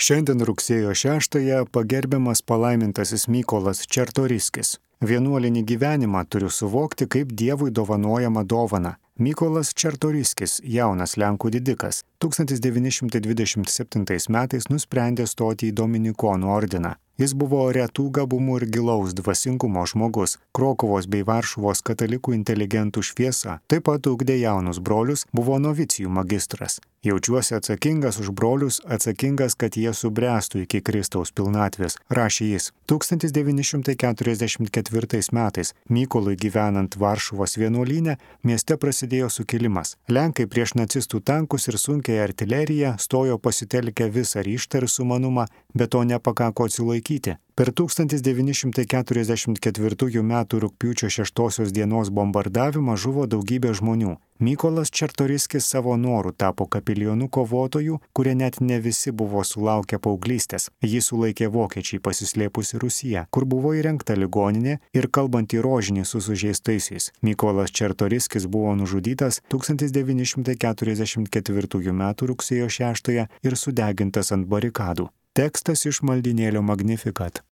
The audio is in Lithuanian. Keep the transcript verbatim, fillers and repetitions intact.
Šiandien rugsėjo šeštąją pagerbiamas palaimintasis Mykolas Čartoriskis. Vienuolinį gyvenimą turiu suvokti kaip Dievui dovanojama dovana. Mykolas Čartoriskis, jaunas lenkų didikas, tūkstantis devyni šimtai dvidešimt septintais metais nusprendė stoti į Dominikonų ordiną. Jis buvo retų gabumų ir gilaus dvasingumo žmogus, Krokuvos bei Varšuvos katalikų inteligentų šviesa, taip pat ugdė jaunus brolius, buvo novicijų magistras. Jaučiuosi atsakingas už brolius, atsakingas, kad jie subręstų iki Kristaus pilnatvės, rašė jis. tūkstantis devyni šimtai keturiasdešimt ketvirtais metais Mykolui gyvenant Varšuvos vienuolyne mieste prasidėjo sukilimas. Lenkai prieš nacistų tankus ir sunkiąją artileriją stojo pasitelkę visą ryžtą ir sumanumą, bet to nepakako atsilaikyti. Per tūkstantis devyni šimtai keturiasdešimt ketvirtųjų metų rugpjūčio šeštosios dienos bombardavimą žuvo daugybė žmonių. Mykolas Čartoriskis savo norų tapo kapilijonų kovotojų, kurie net ne visi buvo sulaukę paauglystės. Jį sulaikė vokiečiai pasislėpusi Rusija, kur buvo įrengta ligoninė ir kalbant į rožinį su sužeistaisiais. Mykolas Čartoriskis buvo nužudytas tūkstantis devyni šimtai keturiasdešimt ketvirtųjų metų rugsėjo šeštąją ir sudegintas ant barikadų. Tekstas iš maldynėlio Magnificat.